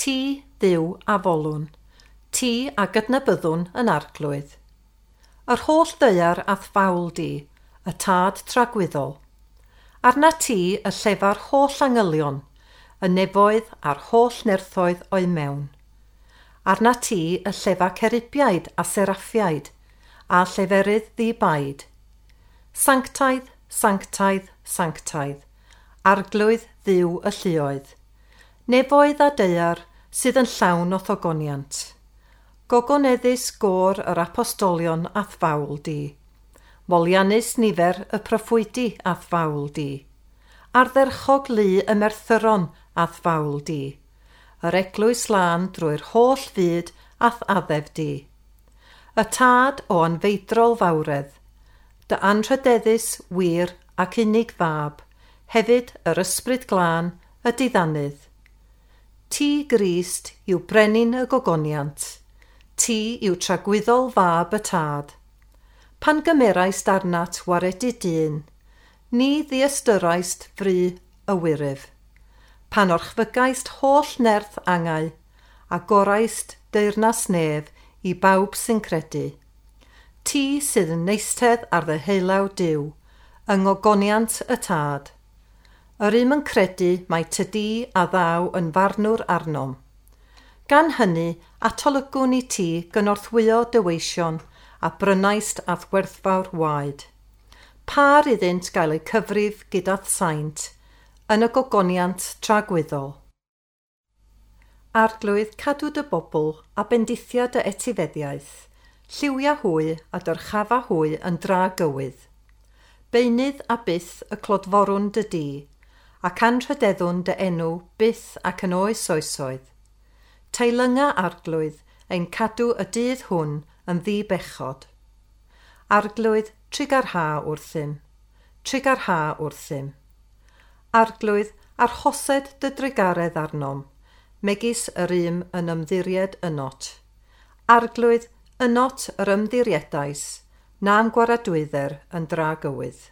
Ti, Dduw, a folwn, ti a gydnabyddwn yn Arglwydd. Yr holl ddaear a'th fawl di, y Tad tragwyddol. Arna ti y llefa'r holl angylion, y nefoedd a'r holl nerthoedd o'i mewn. Arna ti y llefa cerubiaid a seraffiaid, a lleferydd ddi-baid. Sanctaidd, sanctaidd, sanctaidd, Arglwydd Dduw y lluoedd. Nefoedd a daear sydd yn llawn o thogoniant. Gogoneddus gôr yr apostolion a'th fawl di. Moliannus nifer y proffwydi a'th fawl di. Ardderchog lu y merthyron a'th fawl di. Yr eglwys lân drwy'r holl fyd a'th addef di. Y Tad o anfeidrol fawredd, dy anrhydeddus wir ac unig fab, hefyd yr Ysbryd Glân, y diddanydd. Ti, Grist, yw brenin y gogoniant. Ti yw tragwyddol fab y Tad. Pan gymeraist arnat waredu dyn, ni ddiystyraist fri y wyryf. Pan orchfygaist holl nerth angau, a goraist deyrnas nef i bawb sy'n credu. Ti sydd yn eistedd ar ddeheulaw Duw, yng ngogoniant y Tad. Yr un yn credu mai tydi a ddaw yn farnwr arnom. Gan hynny, atolygwn i ti gynorthwyo dy weision a brynaist a'th werthfawr waed. Par iddynt gael eu cyfrif gyda'th saint, yn y gogoniant tragwyddol. Arglwydd, cadw dy bobl a bendithia dy etifeddiaeth, lliwia hwy a dyrchafa hwy yn dragywydd. Beunydd a byth y clodforwn dy di, ac anrhydeddwn dy enw byth ac yn oes oesoedd. Teilynga Arglwydd ein cadw y dydd hwn yn ddi-bechod. Arglwydd, trugarha wrthym, trugarha wrthym. Arglwydd, arhosed dy drugaredd arnom, megis yr un yn ymddiried ynot. Arglwydd, ynot yr ymddiriedais, na'm gwaradwydder yn dragywydd.